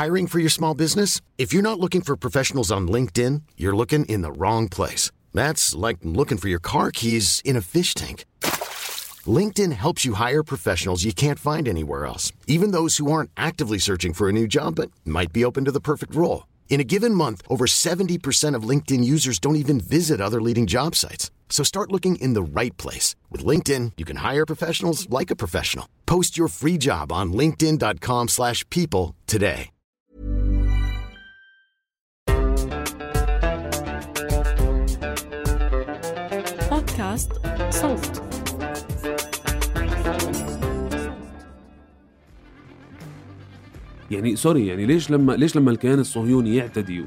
Hiring for your small business? If you're not looking for professionals on LinkedIn, you're looking in the wrong place. That's like looking for your car keys in a fish tank. LinkedIn helps you hire professionals you can't find anywhere else, even those who aren't actively searching for a new job but might be open to the perfect role. In a given month, over 70% of LinkedIn users don't even visit other leading job sites. So start looking in the right place. With LinkedIn, you can hire professionals like a professional. Post your free job on linkedin.com/people today. بودكاست صوت. يعني سوري، يعني ليش لما الكيان الصهيوني يعتدي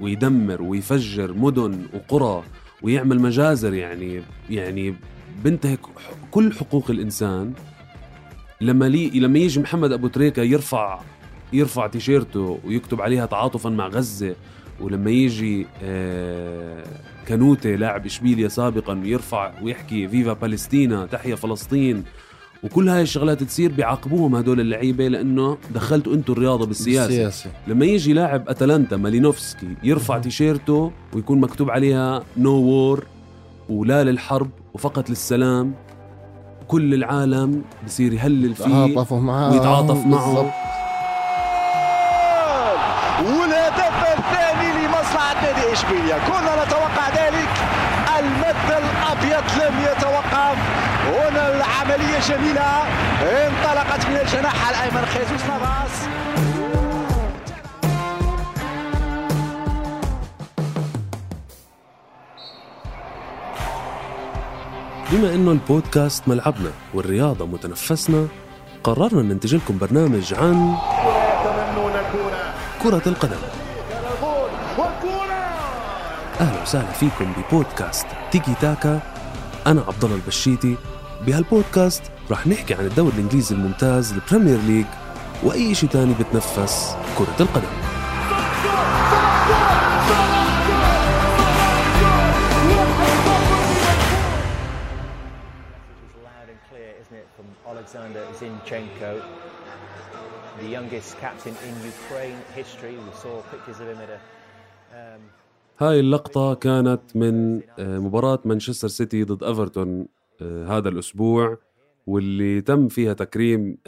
ويدمر ويفجر مدن وقرى ويعمل مجازر، يعني بنتهك كل حقوق الإنسان، لما يجي محمد أبو تريكة يرفع تيشيرته ويكتب عليها تعاطفا مع غزة، ولما يجي كانوتي لاعب إشبيليا سابقا يرفع ويحكي فيفا بالستينا تحيا فلسطين، وكل هاي الشغلات تصير بيعاقبوهم هدول اللعيبة لأنه دخلتوا أنتوا الرياضة بالسياسة. لما يجي لاعب أتلانتا مالينوفسكي يرفع تيشيرته ويكون مكتوب عليها نو وور ولا للحرب وفقط للسلام، كل العالم بصير يهلل فيه ويتعاطف معه. والهدف الثاني لمصلحة نادي إشبيلية، كنا نتوقع ذلك. المد الأبيض لم يتوقف، هنا العملية جميلة انطلقت من الجناح الأيمن خيسوس نافاس. بما إنه البودكاست ملعبنا والرياضة متنفسنا، قررنا ننتج لكم برنامج عن كرة القدم. أهلا وسهلا فيكم ببودكاست تيكي تاكا. أنا عبد الله البشيتي. بهالبودكاست راح نحكي عن الدوري الإنجليزي الممتاز، البريمير ليج، وأي شيء تاني بتنفس كرة القدم. Alexander Zinchenko, the youngest captain in Ukraine history. We saw pictures of him at a هاي اللقطة كانت من مباراة مانشستر سيتي ضد إيفرتون هذا الأسبوع، واللي تم فيها تكريم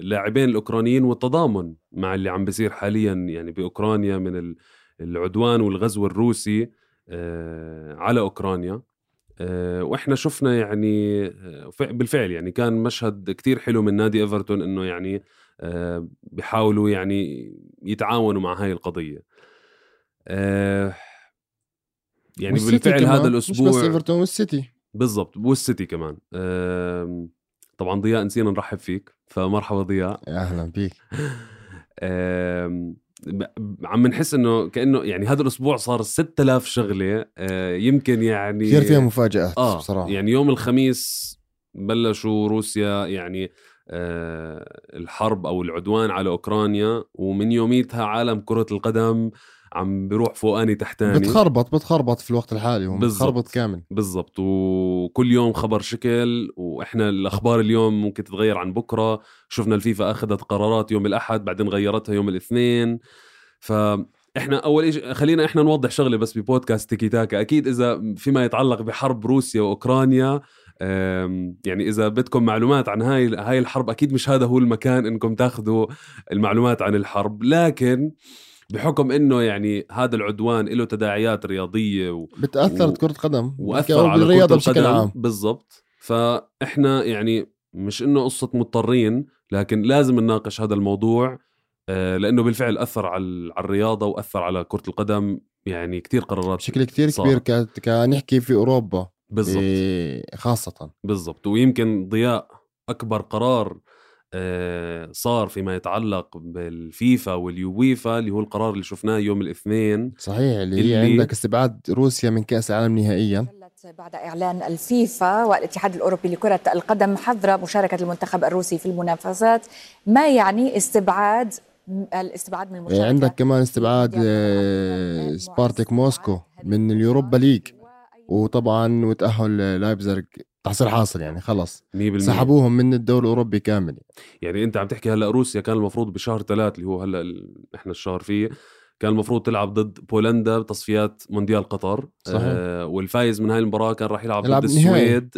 لاعبين الأوكرانيين والتضامن مع اللي عم بيصير حاليا يعني بأوكرانيا من العدوان والغزو الروسي على أوكرانيا. وإحنا شفنا يعني بالفعل يعني كان مشهد كتير حلو من نادي إيفرتون، إنه يعني بيحاولوا يعني يتعاونوا مع هاي القضية. يعني بالفعل هذا الأسبوع مش بس إيفرتون والسيتي، بالضبط، والسيتي كمان. طبعا ضياء نسينا نرحب فيك، فمرحبا ضياء. أهلا بيك. عم نحس انه كأنه يعني هذا الاسبوع صار 6000 شغلة، يمكن يعني كثير فيها مفاجآت بصراحة. يعني يوم الخميس بلشوا روسيا يعني الحرب او العدوان على اوكرانيا، ومن يوميتها عالم كرة القدم عم بيروح فوقاني تحتاني، بتخربط في الوقت الحالي، بتخربط كامل. بالضبط، وكل يوم خبر شكل، واحنا الاخبار اليوم ممكن تتغير عن بكره. شفنا الفيفا اخذت قرارات يوم الاحد بعدين غيرتها يوم الاثنين. فاحنا اول شيء خلينا احنا نوضح شغله بس ببودكاست تيكي تاكا. اكيد اذا فيما يتعلق بحرب روسيا واوكرانيا، يعني اذا بدكم معلومات عن هاي الحرب، اكيد مش هذا هو المكان انكم تاخذوا المعلومات عن الحرب، لكن بحكم انه يعني هذا العدوان له تداعيات رياضيه بتاثر كرة قدم واثر على الرياضه بشكل عام. بالضبط. فاحنا يعني مش انه قصه مضطرين، لكن لازم نناقش هذا الموضوع، لانه بالفعل اثر على الرياضه واثر على كرة القدم. يعني كتير قرارات بشكل كتير كبير كنحكي في اوروبا بالضبط خاصه. بالضبط. ويمكن ضياء اكبر قرار صار فيما يتعلق بالفيفا واليويفا اللي هو القرار اللي شفناه يوم الاثنين، صحيح، اللي عندك استبعاد روسيا من كأس العالم نهائيا بعد إعلان الفيفا والاتحاد الأوروبي لكرة القدم حظر مشاركة المنتخب الروسي في المنافسات. ما يعني الاستبعاد من المشاركة؟ عندك كمان استبعاد سبارتاك موسكو من اليوروبا ليج، وطبعا وتأهل لايبزيغ تحصيل حاصل يعني خلص 100%. سحبوهم من الدوري الأوروبي كامل. يعني انت عم تحكي هلا روسيا كان المفروض بشهر 3 اللي هو هلا احنا الشهر فيه كان المفروض تلعب ضد بولندا بتصفيات مونديال قطر. والفايز من هاي المباراة كان راح يلعب ضد السويد.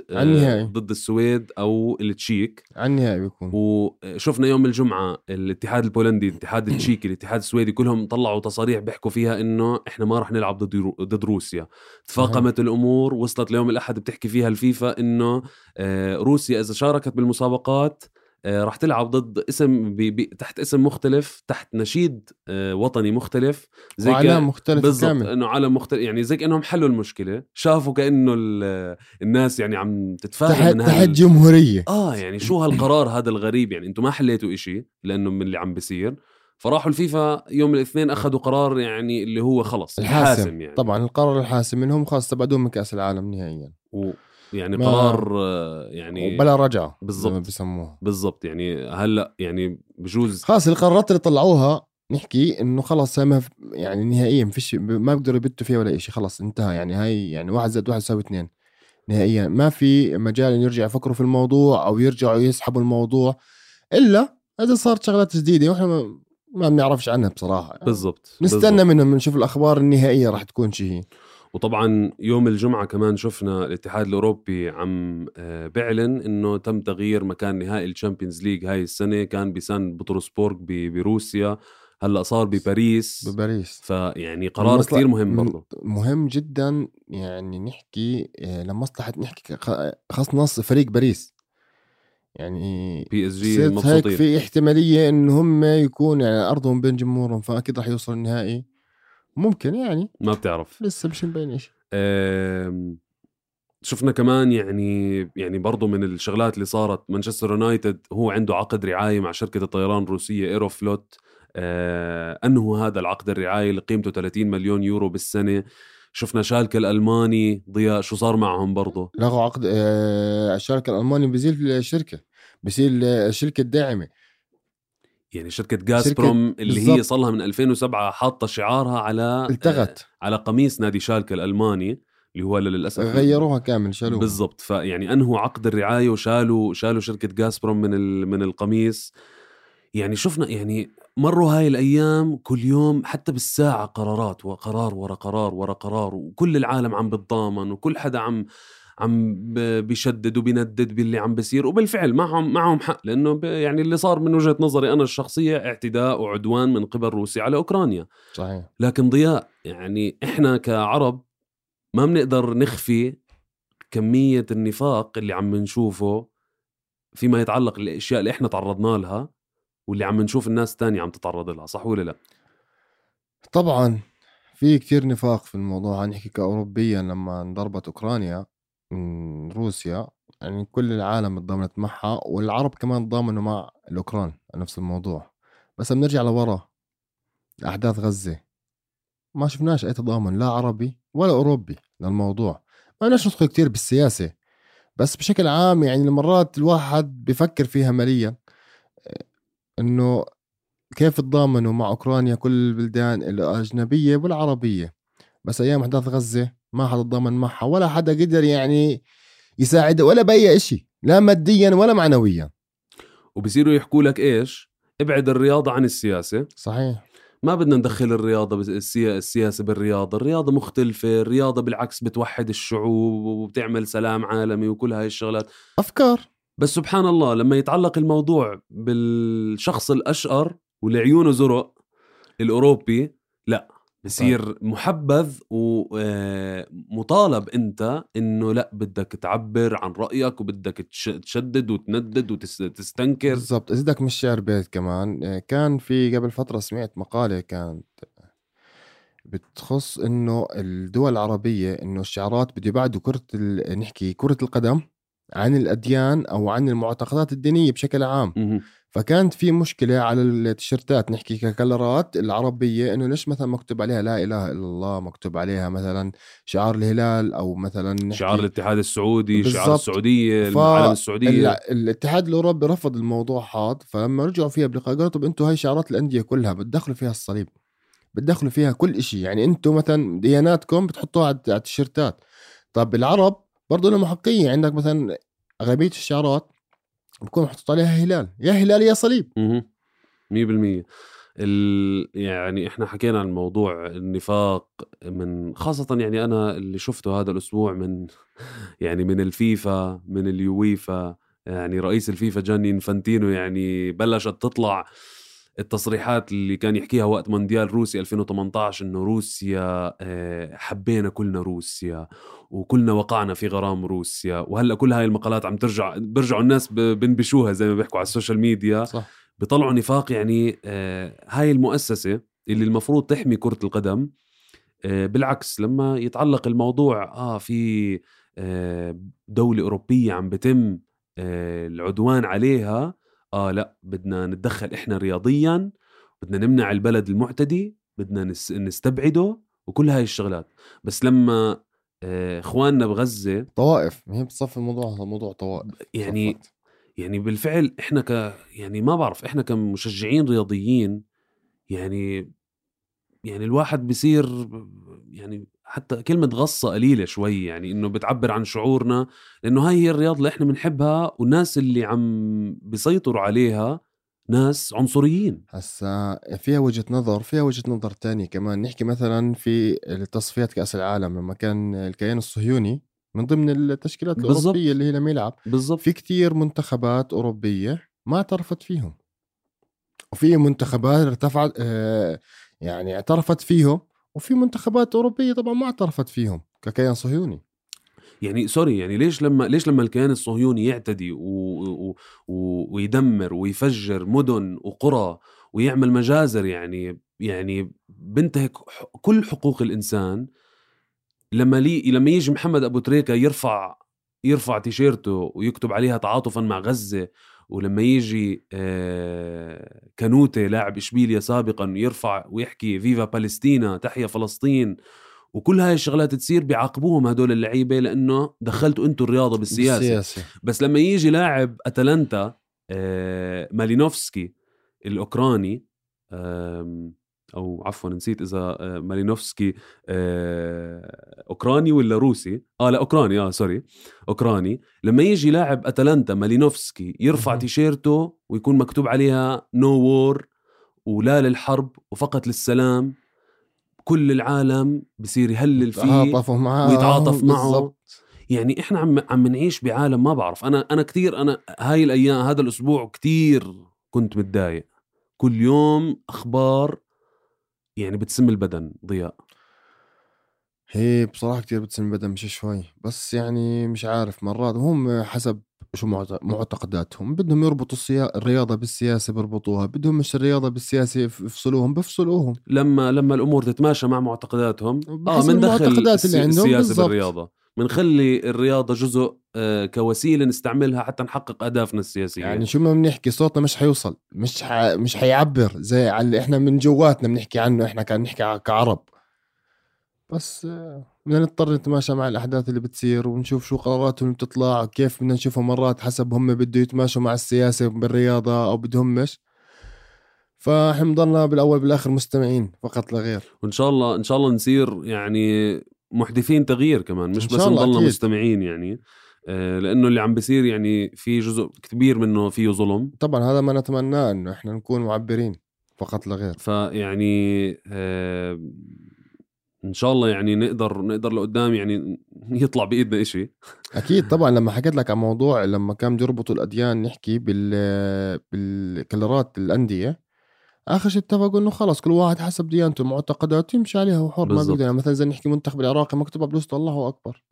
ضد السويد او التشيك على النهائي بيكون. وشفنا يوم الجمعة الاتحاد البولندي، الاتحاد التشيكي، الاتحاد السويدي كلهم طلعوا تصاريح بيحكوا فيها انه احنا ما راح نلعب ضد روسيا. تفاقمت الامور، وصلت ليوم الاحد بتحكي فيها الفيفا انه روسيا اذا شاركت بالمسابقات راح تلعب ضد اسم تحت اسم مختلف، تحت نشيد وطني مختلف، زي وعلام مختلف بالضبط، انه عالم مختلف. يعني زي كأنهم حلوا المشكلة، شافوا كأنه الناس يعني عم تتفاهم من تحت جمهورية. يعني شو هالقرار هذا الغريب، يعني انتم ما حليتوا إشي لأنه من اللي عم بيصير. فراحوا الفيفا يوم الاثنين أخذوا قرار يعني اللي هو خلص الحاسم. يعني طبعا القرار الحاسم منهم خلاص استبعدوهم من كأس العالم نهائيا. يعني قرار يعني بلا رجعة بالضبط بسموه بالضبط. يعني هلا يعني بجوز خلاص القرارات اللي طلعوها نحكي انه خلاص يعني نهائيا فيش، ما بيقدروا يبتوا فيها ولا شيء، خلاص انتهى. يعني هاي يعني 1+1=2 نهائيا. ما في مجال ان يرجع يفكروا في الموضوع او يرجعوا يسحبوا الموضوع الا اذا صارت شغلات جديدة واحنا ما بنعرفش عنها بصراحة. يعني بالضبط نستنى منهم نشوف الاخبار النهائية راح تكون شيء. وطبعا يوم الجمعة كمان شفنا الاتحاد الأوروبي عم بيعلن إنه تم تغيير مكان نهائي الشامبيونز ليج هاي السنة. كان بسان بطرسبورغ بروسيا، هلأ صار بباريس. فيعني قرار كتير مهم برضو، مهم جدا. يعني نحكي لمصلحة نحكي خاص نص فريق باريس، يعني PSG مبسوطين. هيك في احتمالية إنه هم يكون يعني أرضهم بين جمهورهم، فأكيد راح يوصل النهائي. ممكن يعني ما بتعرف لسه مش مبين إيش. شفنا كمان يعني برضو من الشغلات اللي صارت، مانشستر يونايتد هو عنده عقد رعاية مع شركة الطيران الروسية ايروفلوت. أنه هذا العقد الرعاية اللي قيمته 30 مليون يورو بالسنة. شفنا شالكة الألماني ضياء شو صار معهم برضو، لغوا عقد. الشركة الألماني بيزيل الشركة، بيصير الشركة الداعمة. يعني شركة غازبروم اللي بالزبط. هي صلها من 2007 حاطة شعارها على التغت على قميص نادي شالكة الألماني اللي هو للأسف غيروها كامل، شالوها بالضبط. فيعني أنهوا عقد الرعاية وشالوا شركة غازبروم من القميص. يعني شفنا يعني مروا هاي الأيام كل يوم حتى بالساعة قرارات وقرار ورا قرار ورا قرار، وكل العالم عم بتضامن وكل حدا عم بيشدد وبيندد باللي عم بيصير. وبالفعل معهم حق، لأنه يعني اللي صار من وجهة نظري أنا الشخصية اعتداء وعدوان من قبل روسيا على أوكرانيا. صحيح. لكن ضياء يعني إحنا كعرب ما بنقدر نخفي كمية النفاق اللي عم نشوفه فيما يتعلق الأشياء اللي إحنا تعرضنا لها واللي عم نشوف الناس تانية عم تتعرض لها، صح ولا لا؟ طبعا في كتير نفاق في الموضوع. هنحكي كأوروبيا لما انضربت أوكرانيا من روسيا، يعني كل العالم اتضامنت معها، والعرب كمان ضامنوا مع الأوكران نفس الموضوع. بس بنرجع لورا أحداث غزة، ما شفناش أي تضامن لا عربي ولا أوروبي للموضوع. ما بدناش ندخل كتير بالسياسة، بس بشكل عام يعني مرات الواحد بيفكر فيها ماليا إنه كيف تضامنوا مع أوكرانيا كل البلدان الأجنبية والعربية، بس أيام أحداث غزة ما حدا تضامن معها ولا حدا قدر يعني يساعد ولا بأي إشي، لا ماديا ولا معنويا. وبصيروا يحكوا لك إيش؟ ابعد الرياضة عن السياسة. صحيح. ما بدنا ندخل الرياضة السياسة بالرياضة. الرياضة مختلفة، الرياضة بالعكس بتوحد الشعوب وبتعمل سلام عالمي وكل هاي الشغلات أفكار. بس سبحان الله لما يتعلق الموضوع بالشخص الأشقر واللي عيونه زرق الأوروبي، لا بصير محبذ ومطالب أنت إنه لا بدك تعبر عن رأيك وبدك تشدد وتندد وتستنكر. بالضبط. إذا مش شعر بيت كمان كان في قبل فترة سمعت مقالة كانت بتخص إنه الدول العربية إنه الشعارات بده يبعدوا نحكي كرة القدم عن الأديان أو عن المعتقدات الدينية بشكل عام. فكانت في مشكلة على التيشيرتات نحكي ككلرات العربية، إنه ليش مثلا مكتوب عليها لا إله إلا الله، مكتوب عليها مثلا شعار الهلال أو مثلا شعار الاتحاد السعودي، شعار السعودية، العلم السعودية. الاتحاد الأوروبي رفض الموضوع هذا، فلما رجعوا فيها بلقاء قالوا طب أنتوا هاي شعارات الأندية كلها بتدخلوا فيها الصليب، بتدخلوا فيها كل إشي، يعني أنتوا مثلا دياناتكم بتحطوها على التيشيرتات. طب العرب برضو لهم حقية. عندك مثلا أغلبية الشعارات بكون محطوط عليها هلال، يا هلال يا صليب. 100%. يعني احنا حكينا عن موضوع النفاق من خاصة، يعني انا اللي شفته هذا الاسبوع من يعني من الفيفا، من اليويفا، يعني رئيس الفيفا جاني انفانتينو، يعني بلشت تطلع التصريحات اللي كان يحكيها وقت مونديال روسيا 2018 انه روسيا حبينا كلنا روسيا وكلنا وقعنا في غرام روسيا. وهلا كل هاي المقالات عم برجعوا الناس بنبشوها زي ما بيحكوا على السوشيال ميديا. صح. بيطلعوا نفاق. يعني هاي المؤسسة اللي المفروض تحمي كرة القدم، بالعكس لما يتعلق الموضوع في دولة أوروبية عم بتم العدوان عليها، لا بدنا نتدخل إحنا رياضيا، بدنا نمنع البلد المعتدي، بدنا نستبعده وكل هاي الشغلات. بس لما إخواننا بغزة طوائف، هي بتصفي الموضوع موضوع طوائف يعني صفت. يعني بالفعل إحنا يعني ما بعرف، إحنا كمشجعين رياضيين يعني الواحد بيصير يعني حتى كلمة غصة قليلة شوي، يعني إنه بتعبر عن شعورنا، لأنه هاي هي الرياضة اللي إحنا بنحبها، والناس اللي عم بيسيطروا عليها ناس عنصريين. هسا فيها وجهة نظر تانية كمان. نحكي مثلا في تصفيات كأس العالم لما كان الكيان الصهيوني من ضمن التشكيلات الأوروبية اللي هي لم يلعب، بالضبط. في كتير منتخبات أوروبية ما اعترفت فيهم، وفي منتخبات ارتفعت يعني اعترفت فيهم، وفي منتخبات أوروبية طبعا ما اعترفت فيهم ككيان صهيوني. يعني سوري، يعني ليش لما الكيان الصهيوني يعتدي ويدمر ويفجر مدن وقرى ويعمل مجازر، يعني بنتهك كل حقوق الإنسان. لما يجي محمد أبو تريكة يرفع تيشيرته ويكتب عليها تعاطفا مع غزة، ولما يجي كانوتي لاعب إشبيليا سابقا يرفع ويحكي فيفا بالستينا تحيا فلسطين، وكل هاي الشغلات تصير بيعاقبوهم هدول اللعيبة لأنه دخلتوا أنتوا الرياضة بالسياسة. بس لما يجي لاعب أتلانتا مالينوفسكي الأوكراني، أو عفوا نسيت إذا مالينوفسكي أوكراني ولا روسي، لا أوكراني، سوري أوكراني. لما يجي لاعب أتلانتا مالينوفسكي يرفع تيشيرته ويكون مكتوب عليها نو وور ولا للحرب وفقط للسلام، كل العالم بصير يهلل فيه ويتعاطف معه. بالزبط. يعني إحنا عم نعيش بعالم ما بعرف. أنا كتير، أنا هاي الأيام هذا الأسبوع كتير كنت متضايق. كل يوم أخبار يعني بتسم البدن. ضياء، هي بصراحة كتير بتسم البدن مش شوي، بس يعني مش عارف، مرات هم حسب شو معتقداتهم. بدهم يربطوا الرياضة بالسياسة بربطوها، بدهم مش الرياضة بالسياسة بفصلوهم. لما الأمور تتماشى مع معتقداتهم من دخل السياسة بالرياضة، منخلي الرياضة جزء كوسيلة نستعملها حتى نحقق أهدافنا السياسية. يعني شو ما بنحكي صوتنا مش حيوصل، مش حيعبر زي اللي احنا من جواتنا بنحكي عنه. احنا كان نحكي كعرب، بس بدنا نضطر نتماشى مع الأحداث اللي بتصير ونشوف شو قراراتهم اللي بتطلع، كيف بدنا نشوفها مرات حسب هم بده يتماشوا مع السياسة بالرياضة أو بدهم مش. فاحنا ضلنا بالأول بالآخر مستمعين فقط لا غير. وإن شاء الله نصير يعني محدثين تغيير كمان، مش بس نضلنا مستمعين يعني، لأنه اللي عم بيصير يعني في جزء كبير منه فيه ظلم. طبعا هذا ما نتمناه، إنه إحنا نكون معبرين فقط لا غير. فيعني إن شاء الله يعني نقدر لقدام يعني يطلع بإيدنا إشي. أكيد طبعا. لما حكيت لك عن موضوع لما كان يربطوا الأديان، نحكي بالكلرات الأندية، آخر شيء اتفقوا إنه خلاص كل واحد حسب ديانته معتقداته يمشي عليها وحر. ما بيقدر يعني مثلا زي نحكي منتخب العراقي مكتوب بلوسته الله أكبر،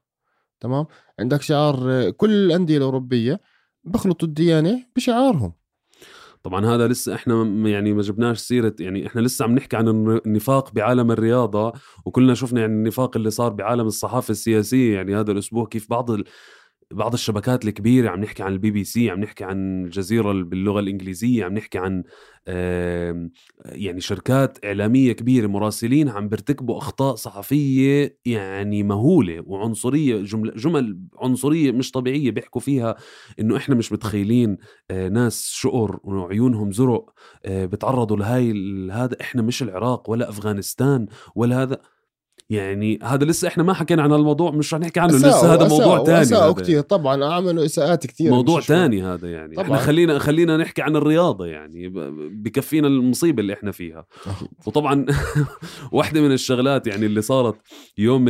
تمام. عندك شعار كل الأندية الأوروبية بخلطوا الديانة بشعارهم. طبعا هذا لسه احنا يعني ما جبناش سيرة، يعني احنا لسه عم نحكي عن النفاق بعالم الرياضة، وكلنا شفنا يعني النفاق اللي صار بعالم الصحافة السياسية. يعني هذا الأسبوع كيف بعض الشبكات الكبيرة، عم نحكي عن BBC، عم نحكي عن الجزيرة باللغة الإنجليزية، عم نحكي عن يعني شركات إعلامية كبيرة، مراسلين عم بيرتكبوا أخطاء صحفية يعني مهولة وعنصرية، جمل عنصرية مش طبيعية، بيحكوا فيها إنه إحنا مش متخيلين ناس شقر وعيونهم زرق بتعرضوا لهاي هذا. إحنا مش العراق ولا أفغانستان ولا هذا. يعني هذا لسه احنا ما حكينا عن الموضوع، مش رح نحكي عنه لسه، هذا موضوع تاني. أساءوا كتير طبعا، عملوا إساءات كتير، موضوع تاني هذا يعني. طبعاً. احنا خلينا نحكي عن الرياضة يعني، بكفينا المصيبة اللي احنا فيها. وطبعا واحدة من الشغلات يعني اللي صارت يوم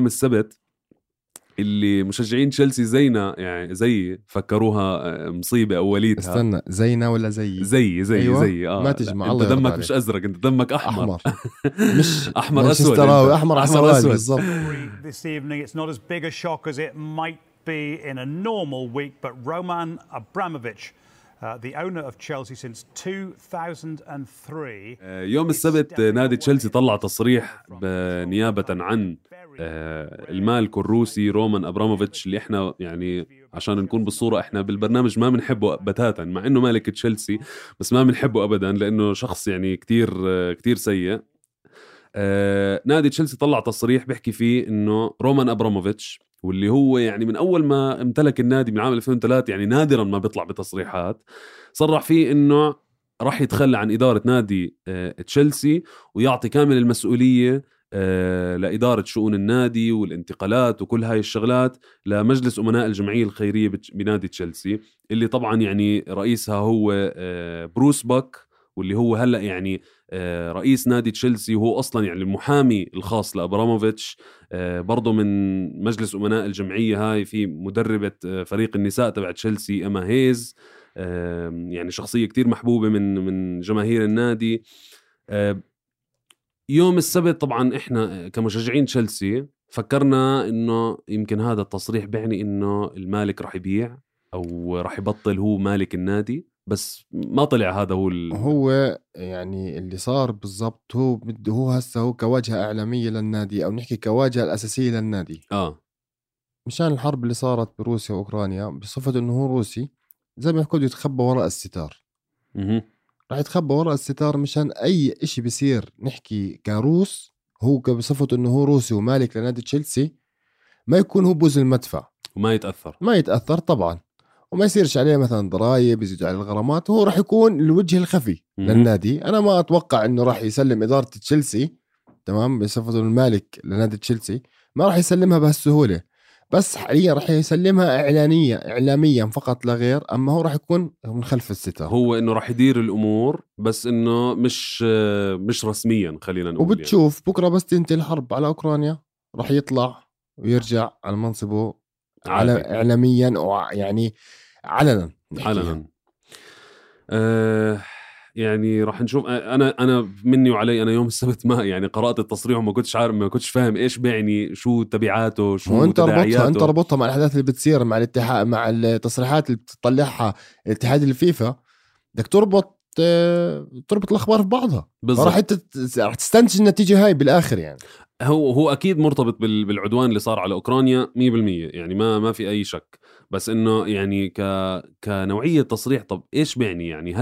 السبت، اللي مشجعين تشيلسي زينا يعني زي فكروها مصيبة أوليتها. استنى، زينا ولا زي أيوة. ما تجمع. انت دمك مش أزرق، انت دمك أحمر. مش أحمر أسود. أحمر أسود بالضبط. This evening it's not as big a shock as it might be in a normal week, but Roman Abramovich, the owner of Chelsea since 2003. يوم السبت نادي تشيلسي طلع تصريح نيابة عن المالك الروسي رومان أبراموفيتش، اللي احنا يعني عشان نكون بالصورة احنا بالبرنامج ما بنحبه بتاتا، مع انه مالك تشيلسي بس ما بنحبه ابدا لانه شخص يعني كتير سيء. نادي تشيلسي طلع تصريح بيحكي فيه انه رومان أبراموفيتش، واللي هو يعني من اول ما امتلك النادي من عام 2003 يعني نادرا ما بيطلع بتصريحات، صرح فيه انه راح يتخلى عن إدارة نادي تشيلسي ويعطي كامل المسؤولية لإدارة شؤون النادي والانتقالات وكل هاي الشغلات لمجلس أمناء الجمعية الخيرية بنادي تشيلسي، اللي طبعا يعني رئيسها هو بروس باك، واللي هو هلأ يعني رئيس نادي تشيلسي، وهو أصلا يعني المحامي الخاص لأبراموفيتش. برضو من مجلس أمناء الجمعية هاي في مدربة فريق النساء تبع تشيلسي إما هيز، يعني شخصية كتير محبوبة من جماهير النادي. يوم السبت طبعا احنا كمشجعين تشيلسي فكرنا انه يمكن هذا التصريح بيعني انه المالك راح يبيع او راح يبطل هو مالك النادي، بس ما طلع هذا هو يعني اللي صار بالضبط. هو هسه هو كواجهة إعلامية للنادي، أو نحكي كواجهة الأساسية للنادي مشان الحرب اللي صارت بروسيا وأوكرانيا، بصفة إنه هو روسي زي ما يحكوا يتخبى وراء الستار. راح يتخبى وراء الستار مشان أي إشي بيصير نحكي كروس، هو بصفة إنه هو روسي ومالك لنادي تشيلسي، ما يكون هو بوز المدفع وما يتأثر طبعا، وما يصيرش عليه مثلا ضرائب، يزيدوا عليه الغرامات. هو راح يكون الوجه الخفي للنادي. أنا ما أتوقع إنه راح يسلم إدارة تشيلسي تمام بصفة المالك لنادي تشيلسي، ما راح يسلمها بهالسهولة، بس حاليا راح يسلمها إعلاميا فقط لا غير. أما هو راح يكون من خلف الستار، هو إنه راح يدير الأمور بس إنه مش رسميا خلينا نقول. وبتشوف يعني بكرة بس تنتهي الحرب على أوكرانيا راح يطلع ويرجع على منصبه إعلاميا ويعني علنا. يعني راح نشوف. انا مني وعلي، انا يوم السبت ما يعني قرأت التصريح وما كنتش عارف، ما كنتش فاهم ايش بيعني، شو تبعاته، شو تداعياته. انت ربطها مع الاحداث اللي بتصير مع الاتحاد، مع التصريحات اللي بتطلعها الاتحاد الفيفا. بدك تربط الاخبار في بعضها، راح تستنتج النتيجه هاي بالاخر. يعني هو اكيد مرتبط بالعدوان اللي صار على اوكرانيا 100%، يعني ما في اي شك. بس انه يعني كنوعيه تصريح، طب ايش بيعني؟ يعني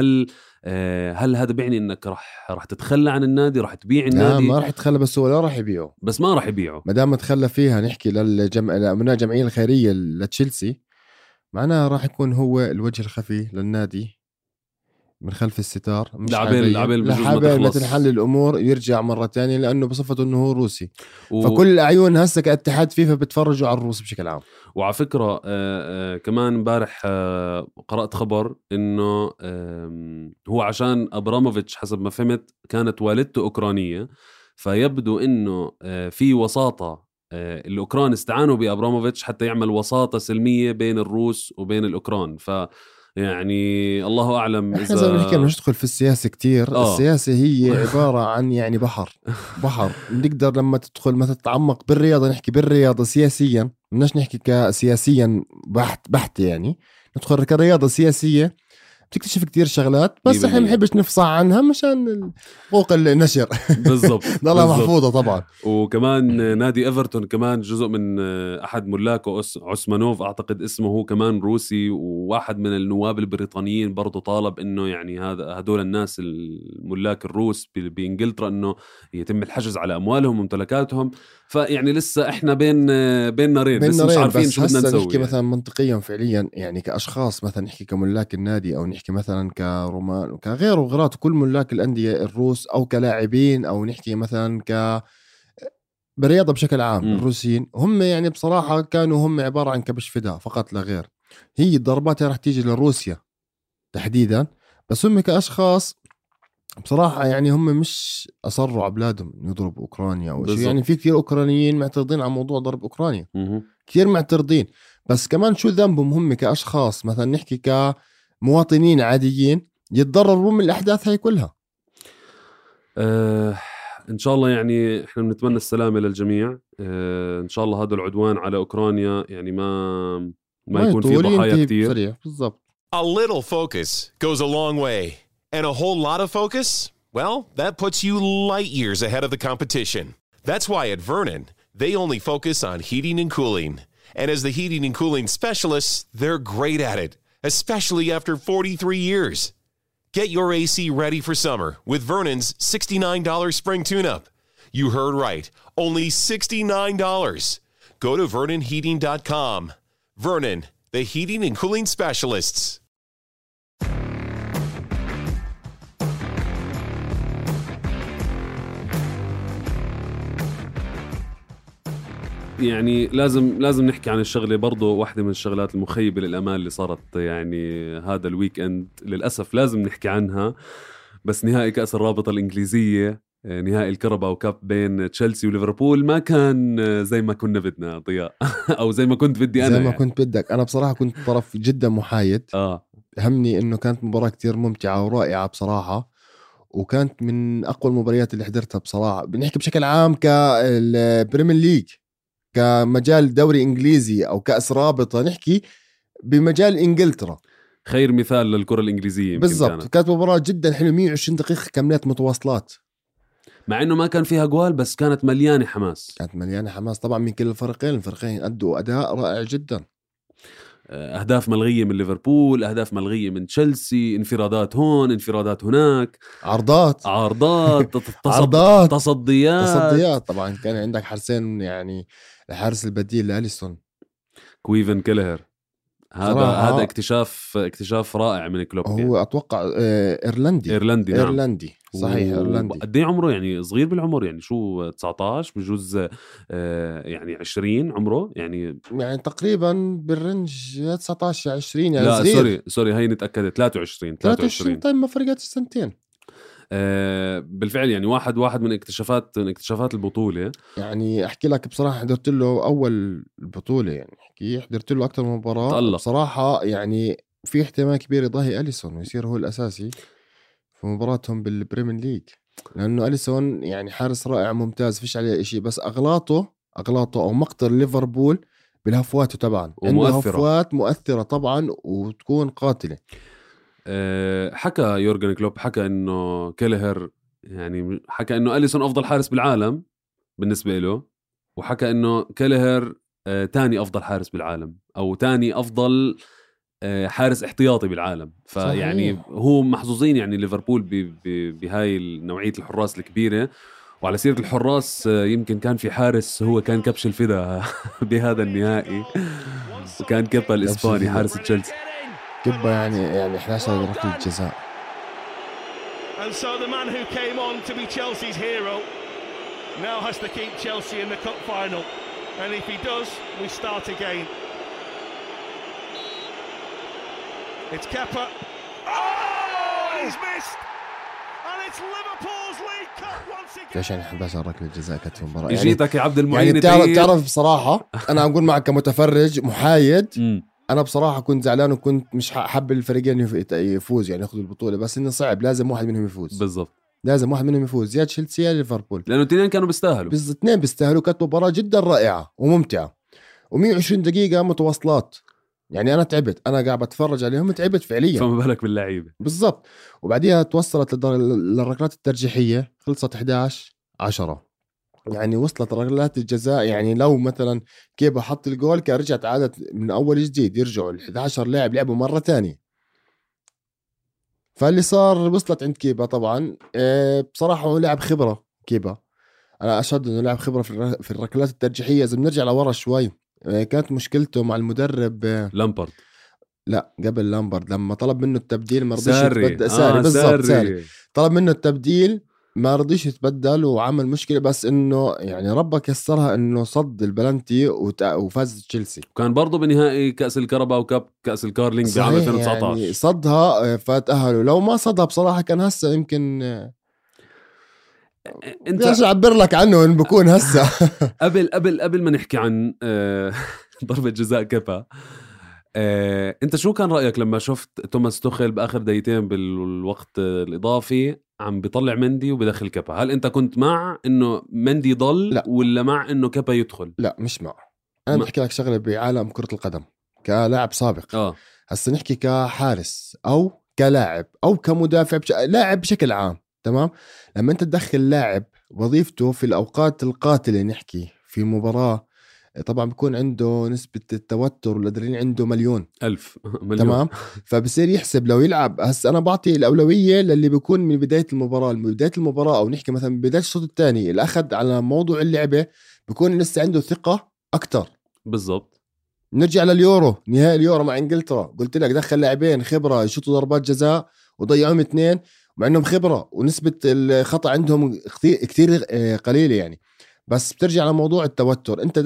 هل هذا بيعني انك راح تتخلى عن النادي، راح تبيع النادي؟ ما راح يتخلى، بس هو لا راح يبيعه، بس ما راح يبيعه ما دام تخلى فيها. نحكي لأمناء الجمعية الخيرية لتشيلسي، معناها راح يكون هو الوجه الخفي للنادي من خلف الستار، مش لحابل ما تنحل الأمور يرجع مرة تانية، لأنه بصفته أنه هو روسي. فكل العيون هسه كاتحاد فيفا بتفرجوا على الروس بشكل عام. وعلى فكرة كمان امبارح قرأت خبر أنه هو عشان أبراموفيتش حسب ما فهمت كانت والدته أوكرانية، فيبدو أنه في وساطة الأوكران استعانوا بأبراموفيتش حتى يعمل وساطة سلمية بين الروس وبين الأوكران. يعني الله أعلم. إحنا زي ما نحكي مش ندخل في السياسة كتير. السياسة هي عبارة عن يعني بحر نقدر لما تدخل ما تتعمق بالرياضة، نحكي بالرياضة سياسيا، مناش نحكي كسياسيا بحت يعني ندخل كرياضة سياسية بتكتشف كتير شغلات، بس احنا بنحبش نفصح عنها مشان حقوق النشر. بالضبط ضلها محفوظة طبعا. وكمان نادي إيفرتون كمان جزء من أحد ملاكه عثمانوف أعتقد اسمه، هو كمان روسي، وواحد من النواب البريطانيين برضو طالب إنه يعني هدول الناس الملاك الروس بإنجلترا إنه يتم الحجز على أموالهم وممتلكاتهم. فيعني لسه إحنا بين نارين، لسه مش عارفين شو بدنا نسوي. نحكي يعني مثلا منطقيا فعليا، يعني كأشخاص مثلا نحكي كملاك النادي، أو نحكي مثلا كرومان وكغيره وغيرات كل ملاك الأندية الروس، أو كلاعبين، أو نحكي مثلا بالرياضة بشكل عام الروسيين هم يعني بصراحة كانوا هم عبارة عن كبش فداء فقط لا غير. هي الضربات رح تيجي لروسيا تحديدا، بس هم كأشخاص بصراحة يعني هم مش أصروا على بلادهم يضربوا أوكرانيا أو شيء. يعني في كثير أوكرانيين معترضين على موضوع ضرب أوكرانيا، كثير معترضين، بس كمان شو ذنبهم هم كأشخاص مثلا نحكي كمواطنين عاديين يتضرروا من الأحداث هاي كلها؟ إن شاء الله يعني إحنا بنتمنى السلامة للجميع. إن شاء الله هذا العدوان على أوكرانيا يعني ما يكون فيه ضحايا كتير. بالضبط. A little focus goes a long way, and a whole lot of focus, well, that puts you light years ahead of the competition. That's why at Vernon, they only focus on heating and cooling. And as the heating and cooling specialists, they're great at it, especially after 43 years. Get your AC ready for summer with Vernon's $69 spring tune-up. You heard right, only $69. Go to VernonHeating.com. Vernon, the heating and cooling specialists. يعني لازم نحكي عن الشغله برضو. واحدة من الشغلات المخيبة للأمال اللي صارت يعني هذا الويك اند للأسف لازم نحكي عنها، بس نهائي كأس الرابطة الإنجليزية، نهائي الكرباو كاب بين تشيلسي وليفربول ما كان زي ما كنا بدنا ضياء أو زي ما كنت بدي أنا. زي ما كنت بدك. أنا بصراحة كنت طرف جدا محايد. همني إنه كانت مباراة كتير ممتعة ورائعة بصراحة، وكانت من أقوى المباريات اللي حضرتها بصراحة. بنحكي بشكل عام كبريمير ليج، كمجال دوري إنجليزي أو كأس رابطة، نحكي بمجال إنجلترا خير مثال للكرة الإنجليزية. بالضبط. كانت مباراة جدا حلوة، 120 دقيقة كاملات متواصلات، مع إنه ما كان فيها جوال بس كانت مليانة حماس. كانت مليانة حماس طبعا من كل الفريقين أدوا أداء رائع جدا. أهداف ملغية من ليفربول، أهداف ملغية من تشيلسي، انفرادات هون انفرادات هناك، عرضات تصديات. طبعا كان عندك حارسين، يعني الحارس البديل لأليسون كويفن كيلهر، هذا اكتشاف رائع من كلوب. هو يعني أتوقع إيرلندي نعم. إيرلندي صحيح. إيرلندي. قد ايه عمره؟ يعني صغير بالعمر، يعني شو 19 بجوز يعني 20 عمره، يعني تقريبا بالرنج 19 20 يعني لا صغير. سوري هاي نتأكد 23. طيب ما فرقت السنتين. بالفعل يعني واحد من اكتشافات البطولة. يعني احكي لك بصراحة حضرت له اول البطولة، يعني حضرت له اكتر من مباراة تألق. بصراحة يعني في احتمال كبير يضاهي أليسون ويصير هو الاساسي في مباراتهم بالبريمير ليج، لانه أليسون يعني حارس رائع ممتاز فيش عليه اشي، بس اغلاطه او مقتل ليفربول بالهفواته طبعا، عنده هفوات مؤثرة طبعا وتكون قاتلة. حكى يورغن كلوب، حكى انه كيلهر، يعني حكى انه أليسون افضل حارس بالعالم بالنسبة له، وحكى انه كيلهر تاني افضل حارس بالعالم او تاني افضل حارس احتياطي بالعالم. فيعني هو محظوظين يعني ليفربول بهاي نوعية الحراس الكبيرة. وعلى سيرة الحراس، يمكن كان في حارس هو كان كبش الفدا بهذا النهائي، وكان كيبا الإسباني حارس تشيلسي. كيبا يعني 11 ركلة جزاء. And so the man who came on to be Chelsea's hero now has to keep Chelsea in the cup final, and if he does, we start again. It's Kepa. Oh, he's missed. And it's Liverpool's League Cup once again. ليش يعني 11 ركلة جزاء كانت في المباراة؟ جيتك يا عبد المعين. يعني تعرف بصراحة أنا أقول معك كمتفرج محايد، أنا بصراحة كنت زعلان وكنت مش حب الفريقين يفوز يعني يأخذوا البطولة، بس إنه صعب، لازم واحد منهم يفوز. بالضبط، لازم واحد منهم يفوز، يا تشيلسي يا ليفربول، لأنه الاثنين كانوا بيستاهلوا. الاثنين بيستاهلوا. كانت مباراة جدا رائعة وممتعة، و120 دقيقة متواصلات. يعني أنا تعبت، أنا قاعد بتفرج عليهم تعبت فعليا، فما بالك باللعيبة. بالضبط. وبعديها توصلت للركلات الترجيحية، خلصت 11-10، يعني وصلت ركلات الجزاء. يعني لو مثلا كيبا حط الجول كان رجعت عادت من أول جديد، يرجعوا 11 لاعب لعبوا مرة تانية. فاللي صار وصلت عند كيبا طبعا. بصراحة هو لاعب خبرة كيبا، أنا أشهد أنه لاعب خبرة في الركلات الترجيحية. إذا بنرجع لورا شوي، كانت مشكلته مع المدرب لامبارد. لا قبل لامبارد، لما طلب منه التبديل ما رضيش ساري. بالضبط. ساري طلب منه التبديل ما رضيش يتبدل وعمل مشكلة، بس انه يعني ربك يسرها انه صد البلنتي وفاز تشيلسي. وكان برضو بنهائي كأس الكرباو كاب كأس الكارلينج بعام 2019 يعني صدها فتأهلوا. لو ما صدها بصراحة كان هسه يمكن انت بديش اعبر لك عنه ان بكون هسه. قبل ما نحكي عن ضربة جزاء كيبا، انت شو كان رأيك لما شفت توماس توخيل بآخر دقيقتين بالوقت الإضافي عم بيطلع مندي وبدخل كيبا؟ هل انت كنت مع انه مندي ضل لا. ولا مع انه كيبا يدخل؟ لا مش مع. انا بحكي لك شغله بعالم كرة القدم كلاعب سابق. هسه نحكي كحارس او كلاعب او كمدافع لاعب بشكل عام، تمام؟ لما انت تدخل لاعب وظيفته في الاوقات القاتله، نحكي في مباراه، طبعا بيكون عنده نسبة التوتر والأدرينالين عنده مليون. تمام. فبصير يحسب لو يلعب. هسه أنا بعطي الأولوية للي بيكون من بداية المباراة أو نحكي مثلا من بداية الشوط الثاني الأخذ على موضوع اللعبة، بيكون لسه عنده ثقة أكتر. بالضبط. نرجع لليورو، نهائي اليورو مع إنجلترا، قلت لك دخل لاعبين خبرة يشوطوا ضربات جزاء وضيعهم 2 مع إنهم خبرة ونسبة الخطأ عندهم كتير قليلة يعني. بس بترجع لموضوع التوتر. انت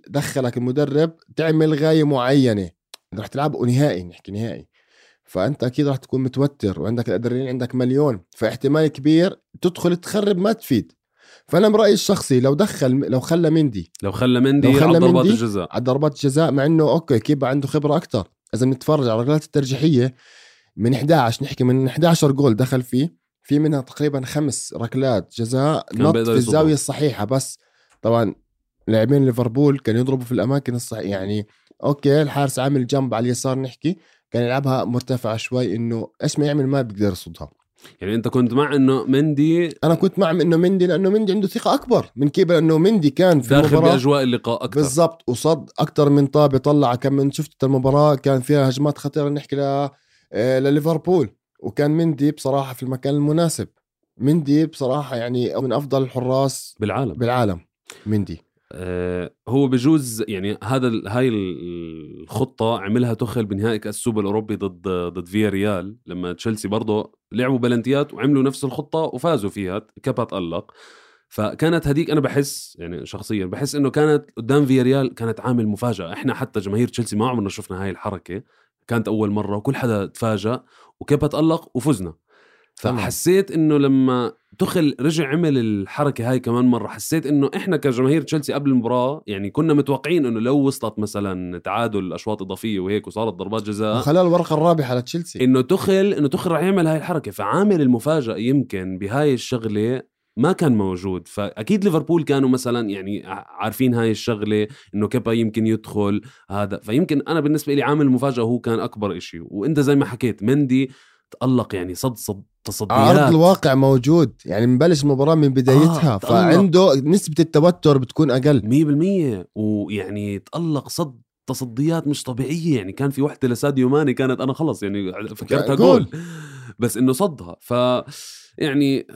دخلك المدرب تعمل غاية معينة، رح تلعب نهائي، نحكي نهائي، فانت اكيد رح تكون متوتر وعندك الادرينالين عندك مليون، فاحتمال كبير تدخل تخرب ما تفيد. فانا برأيي الشخصي لو خلى مندي على ضربات الجزاء مع انه اوكي كيبا عنده خبرة اكتر. اذا نتفرج على الركلات الترجيحية من 11، نحكي من 11 جول دخل في منها تقريبا 5 ركلات جزاء نط في الزاوية الصحيحة. بس طبعا لاعبين ليفربول كانوا يضربوا في الأماكن الصحيحة، يعني أوكي الحارس عامل جنب على اليسار، نحكي كان يلعبها مرتفعة شوي، إنه إيش ما يعمل ما بيقدر يصدها. يعني أنت كنت مع إنه مندي؟ أنا كنت مع إنه مندي، لأنه مندي عنده ثقة أكبر من كيبا، لأنه مندي كان في داخل بأجواء اللقاء أكتر. بالضبط، وصد أكتر من طابة، طلع كم من شفت المباراة كان فيها هجمات خطيرة نحكي لليفربول، وكان مندي بصراحة في المكان المناسب. مندي بصراحة يعني من أفضل الحراس بالعالم مندي. هو بجوز يعني هاي الخطة عملها توخيل بنهائي كأس السوبر الأوروبي ضد فيا ريال، لما تشيلسي برضو لعبوا بلنتيات وعملوا نفس الخطة وفازوا فيها، كيبا تألق. فكانت هديك أنا بحس يعني شخصيا بحس إنه كانت قدام فيا ريال كانت عامل مفاجأة. إحنا حتى جماهير تشيلسي ما عمرنا شفنا هاي الحركة، كانت أول مرة وكل حدا تفاجأ، وكيبا تألق وفزنا. فحسيت انه لما توخيل رجع عمل الحركه هاي كمان مره، حسيت انه احنا كجماهير تشيلسي قبل المباراه يعني كنا متوقعين انه لو وصلت مثلا تعادل اشواط اضافيه وهيك وصارت ضربات جزاء وخلال الورقه الرابحه لتشيلسي، انه توخيل راح يعمل هاي الحركه. فعامل المفاجاه يمكن بهاي الشغله ما كان موجود. فاكيد ليفربول كانوا مثلا يعني عارفين هاي الشغله انه كيبا يمكن يدخل هذا، فيمكن انا بالنسبه لي عامل المفاجاه هو كان اكبر إشي. وانت زي ما حكيت مندي تألق، يعني صد تصديات، عرض الواقع موجود، يعني مبلش المباراة من بدايتها فعنده نسبة التوتر بتكون أقل 100%. ويعني تألق صد تصديات مش طبيعية، يعني كان في وحدة لساديو ماني كانت أنا خلص يعني فكرتها جول بس إنه صدها. يعني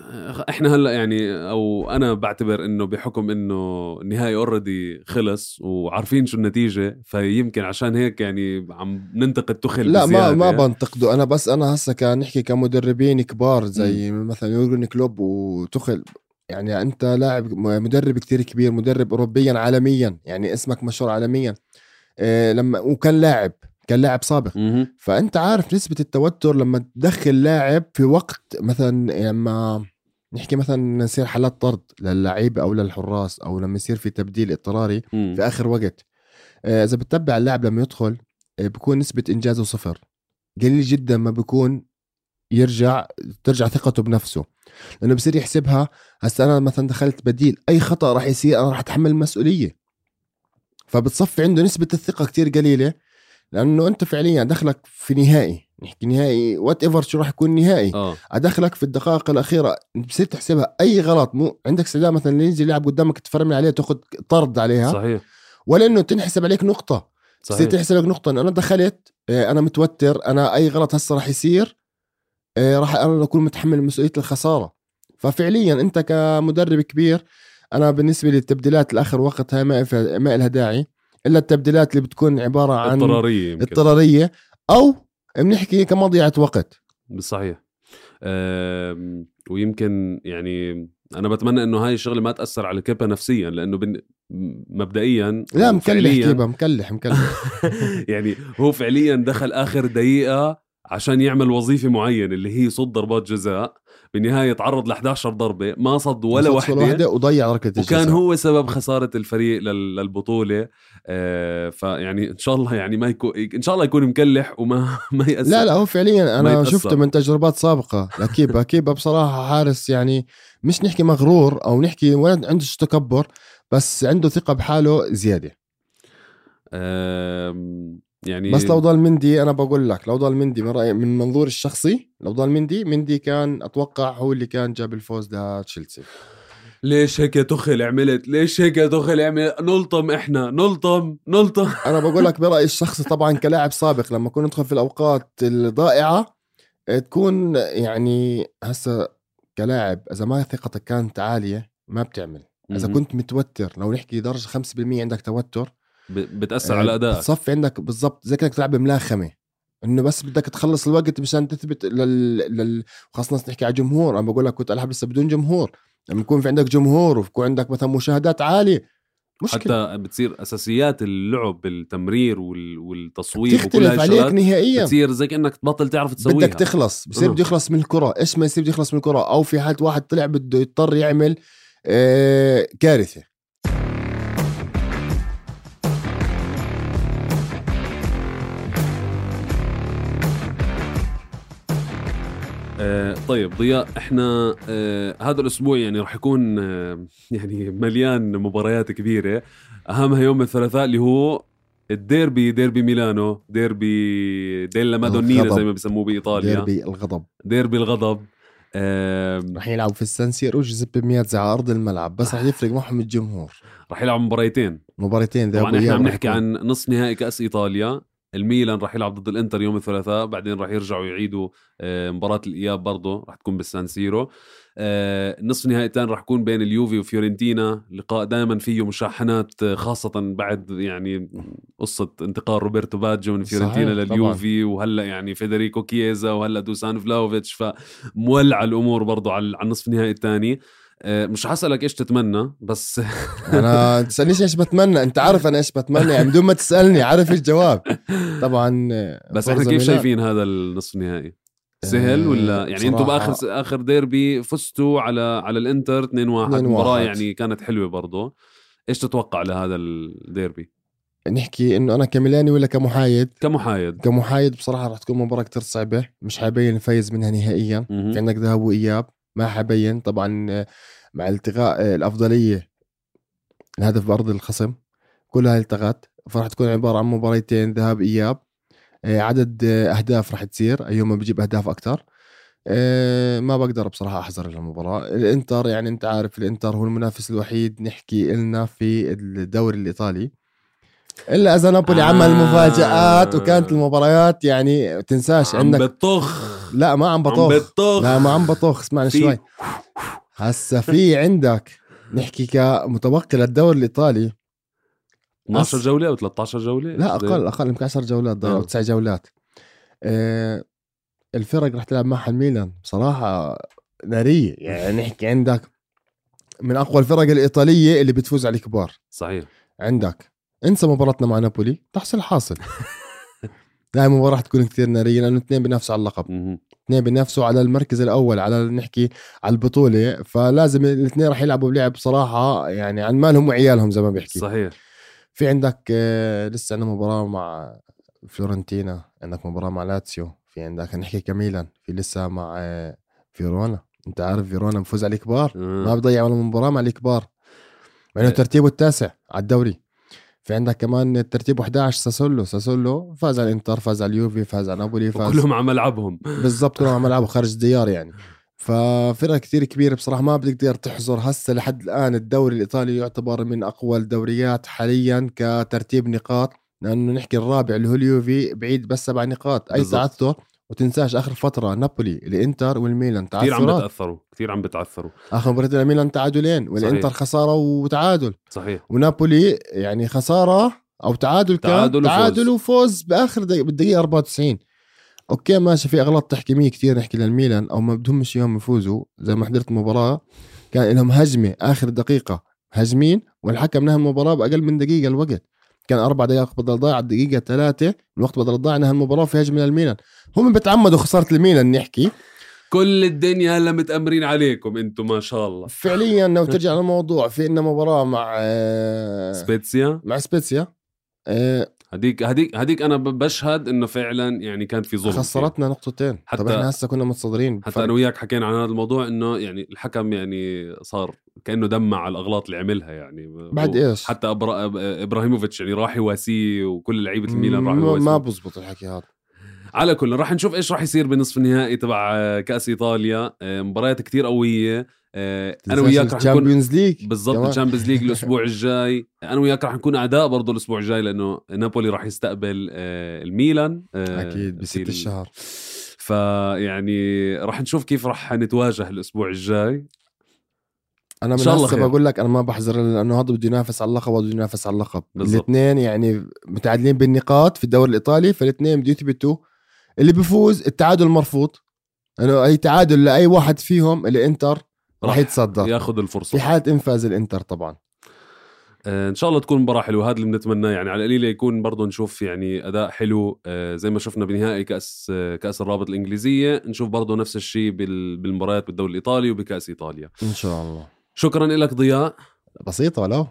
احنا هلا يعني او انا بعتبر انه بحكم انه النهائي اوريدي خلص وعارفين شو النتيجه، فيمكن عشان هيك يعني عم ننتقد توخيل لا بزيادة. ما بنتقده انا، بس انا هسه كان نحكي كمدربين كبار زي مثلا يورجن كلوب وتوخيل. يعني انت لاعب مدرب كتير كبير، مدرب اوروبيا عالميا، يعني اسمك مشهور عالميا وكان لاعب سابق. فأنت عارف نسبة التوتر لما تدخل لاعب في وقت مثلا لما نحكي مثلا يصير حالات طرد للاعيبة أو للحراس، أو لما يصير في تبديل اضطراري في آخر وقت. إذا بتتبع اللاعب لما يدخل بيكون نسبة إنجازه 0، قليل جدا ما بيكون ترجع ثقته بنفسه، لأنه بصير يحسبها هسه أنا مثلا دخلت بديل، أي خطأ راح يصير أنا راح أتحمل المسؤولية. فبتصفي عنده نسبة الثقة كتير قليلة، لأنه أنت فعليا دخلك في نهائي، نحكي نهائي وات ايفر شو راح يكون نهائي، أدخلك في الدقائق الأخيرة، بصير تحسبها أي غلط مو عندك استعداد مثلا اللي ينزل يلعب قدامك تفرمل عليه تأخذ طرد عليها. صحيح. ولا إنه تنحسب عليك نقطة، بصير تحسب لك نقطة إنه أنا دخلت، أنا متوتر، أنا أي غلط هسه راح يصير راح أنا أكون متحمل مسؤولية الخسارة. ففعليا أنت كمدرب كبير، أنا بالنسبة للتبديلات الآخر وقت هاي ما إلها داعي، إلا التبديلات اللي بتكون عبارة عن اضطرارية أو بنحكي كمضيعة وقت. بالصحيح. ويمكن يعني أنا بتمنى إنه هاي الشغلة ما تأثر على كيبا نفسيا، لأنه مبدئيا لا مكلح كيبا مكلح يعني هو فعليا دخل آخر دقيقة عشان يعمل وظيفة معينة اللي هي صد ضربات جزاء. بالنهاية تعرض ل11 ضربة ما صد ولا واحدة وضيع ركلة الجزاء، وكان هو سبب خسارة الفريق للبطولة. فيعني إن شاء الله يعني ما يكون، إن شاء الله يكون مكلح وما يأثر. لا هو فعليا أنا شفته من تجربات سابقة لكيبا بصراحة حارس يعني مش نحكي مغرور أو نحكي ولا عنده تكبر، بس عنده ثقة بحاله زيادة. يعني بس لو ضل مندي أنا بقول لك لو ضل مندي من رأيي من منظور الشخصي، لو ضل مندي كان أتوقع هو اللي كان جاب الفوز لتشيلسي. ليش هيك يا تخل عملت؟ ليش هيك يا تخل عملت؟ نلطم إحنا نلطم أنا بقول لك برأيي الشخصي طبعا كلاعب سابق لما كنا ندخل في الأوقات الضائعة تكون يعني هسا كلاعب إذا ما ثقتك كانت عالية ما بتعمل. إذا كنت متوتر لو نحكي درجة 5% عندك توتر بتأثر على أدائك، بتصفي عندك بالضبط زي كأنك تلعب ملاخمة، إنه بس بدك تخلص الوقت مشان تثبت خاصة نحكي على جمهور. أنا بقول لك كنت ألعب لسه بدون جمهور، لما يكون في عندك جمهور ويكون عندك مثلا مشاهدات عالية مشكلة. حتى بتصير أساسيات اللعب بالتمرير والتصويب تختلف عليك نهائيا، بتصير زي كأنك تبطل تعرف تسويها، بدك تخلص بصير بده يخلص من الكرة. إيش ما يصير بده يخلص من الكرة، أو في حالة واحد طلع بده يضطر يعمل كارثة. طيب ضياء، احنا هذا الاسبوع يعني راح يكون يعني مليان مباريات كبيرة، اهمها يوم الثلاثاء اللي هو ديربي ميلانو، ديربي ديلا مادونينا زي ما بيسموه بايطاليا، ديربي الغضب. راح يلعبوا في السان سيرو جوزيبي مياتزا على ارض الملعب، بس راح يفرق معهم الجمهور. راح يلعبوا مباريتين طبعا احنا عم نحكي عن نصف نهائي كأس ايطاليا. الميلان راح يلعب ضد الانتر يوم الثلاثاء، بعدين راح يرجعوا يعيدوا مباراة الإياب برضو راح تكون بالسان سيرو. النصف نهائي الثاني راح يكون بين اليوفي وفيورنتينا، لقاء دائما فيه مشاحنات، خاصة بعد يعني قصة انتقال روبرتو باجيو من فيورنتينا لليوفي، وهلأ يعني فيدريكو كييزا وهلأ دوسان فلاوفيتش، فمولع الأمور برضو على النصف نهائي الثاني. مش حسألك إيش تتمنى، بس أنا تسألنيش إيش بتمنى، أنت عارف أنا إيش بتمنى يعني بدون ما تسألني عارف الجواب طبعا. بس إحنا كيف شايفين هذا النصف النهائي؟ سهل ولا يعني أنتوا بآخر ديربي فزتوا على الإنتر 2-1 مباراة يعني كانت حلوة برضو. إيش تتوقع لهذا الديربي؟ نحكي إنه أنا كميلاني ولا كمحايد بصراحة راح تكون مباراة كتير صعبة، مش حابين نفيز منها نهائيا. في عندك ذهاب وإياب ما حبين طبعا مع التغاء الأفضلية الهدف بأرض الخصم كلها التغت، فراح تكون عبارة عن مباريتين ذهاب إياب. عدد أهداف راح تصير أيوم بيجيب أهداف أكتر. ما بقدر بصراحة أحذر المباراة. الإنتر يعني أنت عارف الإنتر هو المنافس الوحيد نحكي إلنا في الدوري الإيطالي، إلا إذا نابولي عمل مفاجآت وكانت المباريات يعني تنساش عندك بطخ. لا ما عم بطخ اسمعني شوي. هسا في عندك نحكي كمتبقي للدوري الإيطالي 12 جولة أو 13 جولة، لا أقل يمكن 10 جولات أو 9 جولات. الفرق رح تلعب معها الميلان بصراحة نارية، يعني نحكي عندك من أقوى الفرق الإيطالية اللي بتفوز على الكبار. صحيح. عندك انسى مباراتنا مع نابولي تحصل حاصل. لا المباراة رح تكون كتير نارية لأنه اثنين بينافسوا على اللقب، اثنين بينافسوا على المركز الأول على نحكي على البطولة، فلازم الاثنين رح يلعبوا بلعب صراحة يعني عن مالهم وعيالهم زي ما بيحكي. صحيح. في عندك لسه عندنا مباراة مع فلورنتينا، عندك مباراة مع لاتسيو، في عندك نحكي كميلان، في لسه مع فيرونا. انت عارف فيرونا مفوز على الكبار، ما بضيع ولا مباراة مع الكبار مع انه ترتيبه التاسع على الدوري. في عندك كمان الترتيب 11 ساسولو فاز على الانتر، فاز على اليوفي، فاز على نابولي، فاز كلهم على ملعبهم بالضبط، كلهم على ملعبهم خارج الديار يعني. ففرقة كتير كبيرة بصراحة ما بتقدر تحزر. هسه لحد الآن الدوري الإيطالي يعتبر من أقوى الدوريات حاليا كترتيب نقاط، لأنه نحكي الرابع اللي هو اليوفي بعيد بس 7 نقاط. أي تعثر، وتنساش آخر فترة نابولي الإنتر والميلان كتير عم بتعثروا. آخر مباراة الميلان تعادلين والإنتر خسارة وتعادل. صحيح. ونابولي يعني خسارة أو تعادل وفوز بآخر بالدقيقة 94. اوكي ماشي، في اغلاط تحكيميه كتير نحكي للميلان او ما بدهم مش يوم يفوزوا. زي ما حضرت المباراه كان لهم هجمه اخر دقيقه هجمين والحكم نهى المباراه باقل من دقيقه. الوقت كان 4 دقائق بدل ضايع، الدقيقه 3 الوقت بدل ضايع، نهى المباراه في هجمه للميلان. هم بتعمدوا خساره الميلان نحكي. كل الدنيا هلا متأمرين عليكم انتم ما شاء الله فعليا لو ترجع للموضوع، في إنه مباراه مع سبيتسيا هديك انا بشهد انه فعلا يعني كان في ظلم، خسرتنا نقطتين. طب احنا هسه كنا متصدرين حتى انا وياك حكينا عن هذا الموضوع، انه يعني الحكم يعني صار كانه دمع على الاغلاط اللي عملها يعني بعد ايش. حتى ابراهيموفيتش يعني راح يواسيه وكل لعيبه الميلان راحوا يواسيه. ما بزبط الحكي هذا. على كل راح نشوف ايش راح يصير بنصف النهائي تبع كأس ايطاليا. مباريات كتير قوية. انا وياك راح نكون بالضبط الشامبيونز ليج الاسبوع الجاي. انا وياك راح نكون اعداء برضو الاسبوع الجاي، لانه نابولي راح يستقبل الميلان اكيد بست الشهر. فيعني راح نشوف كيف راح نتواجه الاسبوع الجاي. انا من هسه بقول لك انا ما بحذر، لانه هذا بده ينافس على اللقب وهذا بده ينافس على اللقب. الاثنين يعني متعادلين بالنقاط في الدوري الايطالي، فالاثنين بده يثبتوا. اللي بيفوز التعادل مرفوض، انه اي تعادل لاي واحد فيهم اللي انتر راح يتصدر ياخذ الفرصه في حاله انفاز الانتر طبعا. ان شاء الله تكون مباراه حلوه، هذا اللي بنتمناه يعني. على القليله يكون برضو نشوف يعني اداء حلو زي ما شفنا بنهائي كاس الرابط الانجليزيه، نشوف برضو نفس الشيء بالمباريات بالدوري الايطالي وبكاس ايطاليا ان شاء الله. شكرا لك ضياء. بسيطه ولو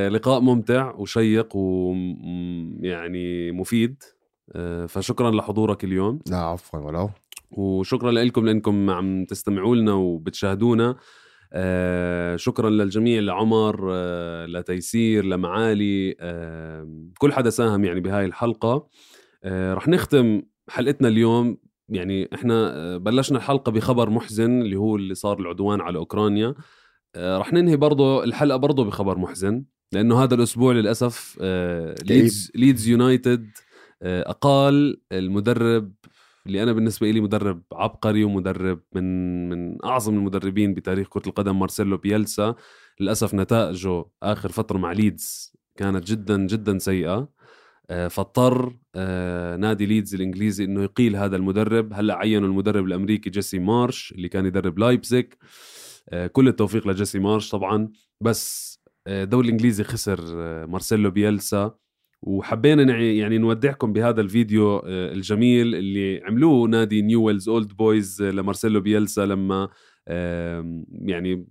لقاء ممتع وشيق ويعني مفيد، فشكرا لحضورك اليوم. لا عفوا ولو. وشكرا لكم لأنكم عم تستمعوا لنا وبتشاهدونا. شكرا للجميع، لعمر، لتيسير، لمعالي، كل حدا ساهم يعني بهاي الحلقة. رح نختم حلقتنا اليوم. يعني احنا بلشنا الحلقة بخبر محزن اللي هو اللي صار العدوان على أوكرانيا. رح ننهي برضو الحلقة برضو بخبر محزن، لأنه هذا الأسبوع للأسف ليدز يونايتد أقال المدرب اللي أنا بالنسبة لي مدرب عبقري ومدرب من أعظم المدربين بتاريخ كرة القدم، مارسيلو بيلسا. للأسف نتائجه آخر فترة مع ليدز كانت جدا جدا سيئة، فاضطر نادي ليدز الإنجليزي إنه يقيل هذا المدرب. هلأ عينوا المدرب الأمريكي جيسي مارش اللي كان يدرب لايبزيج. كل التوفيق لجيسي مارش طبعا، بس الدوري الإنجليزي خسر مارسيلو بيلسا. وحبينا يعني نودعكم بهذا الفيديو الجميل اللي عملوه نادي نيويلز أولد بويز لمارسيلو بيلسا لما يعني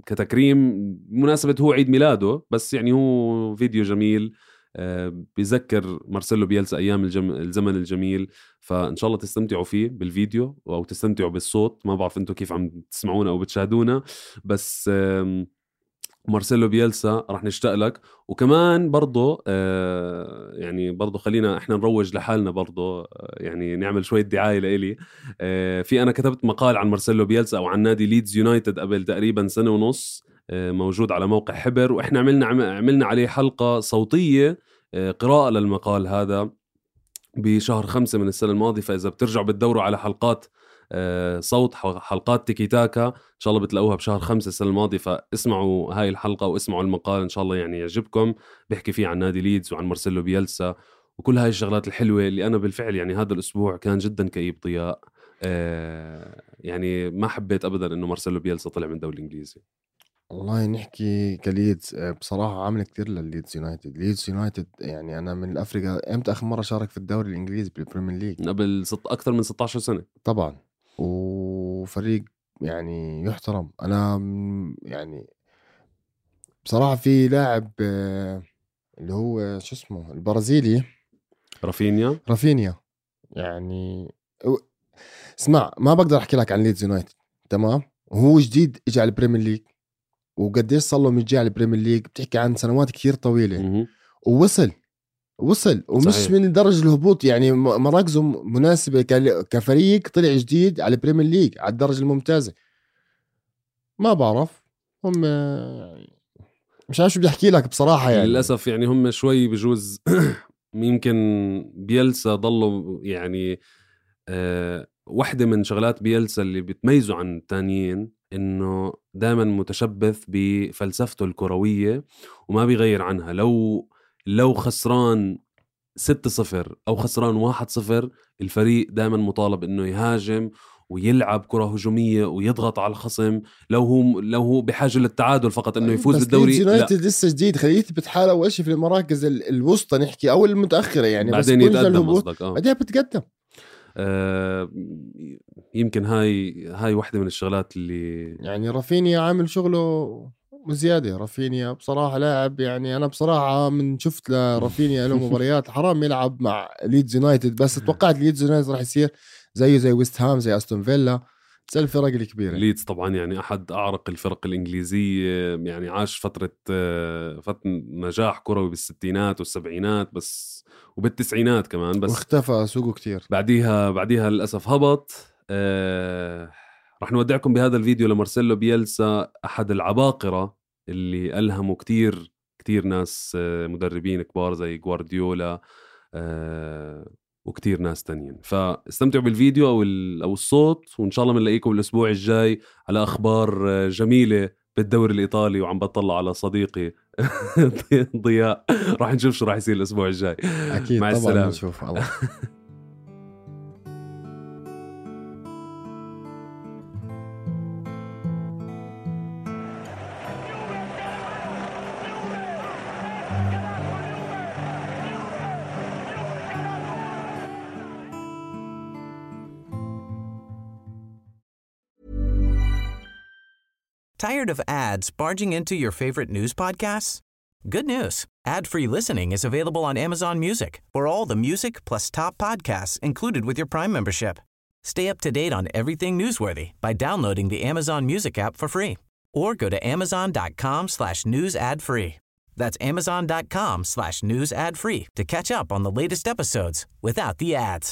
كتكريم مناسبة هو عيد ميلاده. بس يعني هو فيديو جميل بيذكر مارسيلو بيلسا أيام الزمن الجميل. فإن شاء الله تستمتعوا فيه بالفيديو أو تستمتعوا بالصوت. ما بعرف أنتوا كيف عم تسمعونا أو بتشاهدونا، بس مارسيلو بيلسا راح نشتاق لك. وكمان برضو يعني برضو خلينا احنا نروج لحالنا برضو، يعني نعمل شوية دعاية لإلي. في أنا كتبت مقال عن مارسيلو بيلسا أو عن نادي ليدز يونايتد قبل تقريبا سنة ونص، موجود على موقع حبر، وإحنا عملنا عليه حلقة صوتية قراءة للمقال هذا بشهر 5 من السنة الماضية. فإذا بترجعوا بتدوروا على حلقات صوت، حلقات تيكي تاكا، إن شاء الله بتلاقوها بشهر 5 السنة الماضية. فاسمعوا هاي الحلقة واسمعوا المقال إن شاء الله يعني يعجبكم. بيحكي فيه عن نادي ليدز وعن مارسيلو بيلسا وكل هاي الشغلات الحلوة اللي أنا بالفعل يعني هذا الأسبوع كان جدا كئيب ضياء. يعني ما حبيت أبدا إنه مارسيلو بيلسا طلع من الدوري الإنجليزي. والله نحكي كليدز بصراحة عامل كتير للليدز يونايتد. ليدز يونايتد يعني أنا من الأفريقيا. إمتى آخر مرة شارك في الدوري الإنجليزي بالبريمير ليج؟ قبل أكثر من 16 سنة طبعا، وفريق يعني يحترم. أنا يعني بصراحة في لاعب اللي هو شو اسمه البرازيلي رافينيا يعني اسمع، ما بقدر أحكي لك عن ليدز يونايتد تمام، وهو جديد إجا على البريمير ليج وقديش صار له مجي على البريمير ليج، بتحكي عن سنوات كتير طويلة. ووصل ومش صحيح. من درجة الهبوط يعني مراكزه مناسبة كفريق طلع جديد على البريمير ليج على الدرجة الممتازة. ما بعرف هم يعني مش عارف شو بدي احكي لك بصراحة يعني. للأسف يعني هم شوي بجوز يمكن بيلسا ضلوا يعني واحدة من شغلات بيلسا اللي بتميزه عن التانيين إنه دائما متشبث بفلسفته الكروية وما بيغير عنها. لو خسران 6-0 أو خسران 1-0 الفريق دائما مطالب إنه يهاجم ويلعب كرة هجومية ويضغط على الخصم لو هو بحاجة للتعادل فقط إنه يفوز بالدوري. بس يونايتد لسه جديد، خليه يثبت حاله أول شيء في المراكز الوسطى نحكي أو المتأخرة يعني، بعدين بس يتقدم قصدك. بعدين بتقدم. يمكن هاي واحدة من الشغلات اللي يعني رافينيا عامل شغله وزيادة. رافينيا بصراحة لاعب، يعني أنا بصراحة من شفت لرافينيا له مباريات حرام يلعب مع ليدز يونايتد، بس توقعت ليدز يونايتد راح يصير زي ويست هام زي أستون فيلا، زي الفرق الكبيرة. ليدز طبعا يعني أحد أعرق الفرق الإنجليزية، يعني عاش فترة نجاح كروي بالستينات والسبعينات بس وبالتسعينات كمان، بس واختفى سوقه كتير. بعديها للأسف هبط. رح نودعكم بهذا الفيديو لمارسيلو بيلسا، أحد العباقرة اللي ألهموا كتير ناس مدربين كبار زي غوارديولا وكتير ناس تانيين. فاستمتعوا بالفيديو أو الصوت، وإن شاء الله منلاقيكم الأسبوع الجاي على أخبار جميلة بالدوري الإيطالي. وعم بطلع على صديقي ضياء، راح نشوف شو راح يصير الأسبوع الجاي. أكيد مع طبعا السلامة. نشوف. الله. Tired of ads barging into your favorite news podcasts? Good news. Ad-free listening is available on Amazon Music for all the music plus top podcasts included with your Prime membership. Stay up to date on everything newsworthy by downloading the Amazon Music app for free or go to amazon.com/news ad free. That's amazon.com/news ad free to catch up on the latest episodes without the ads.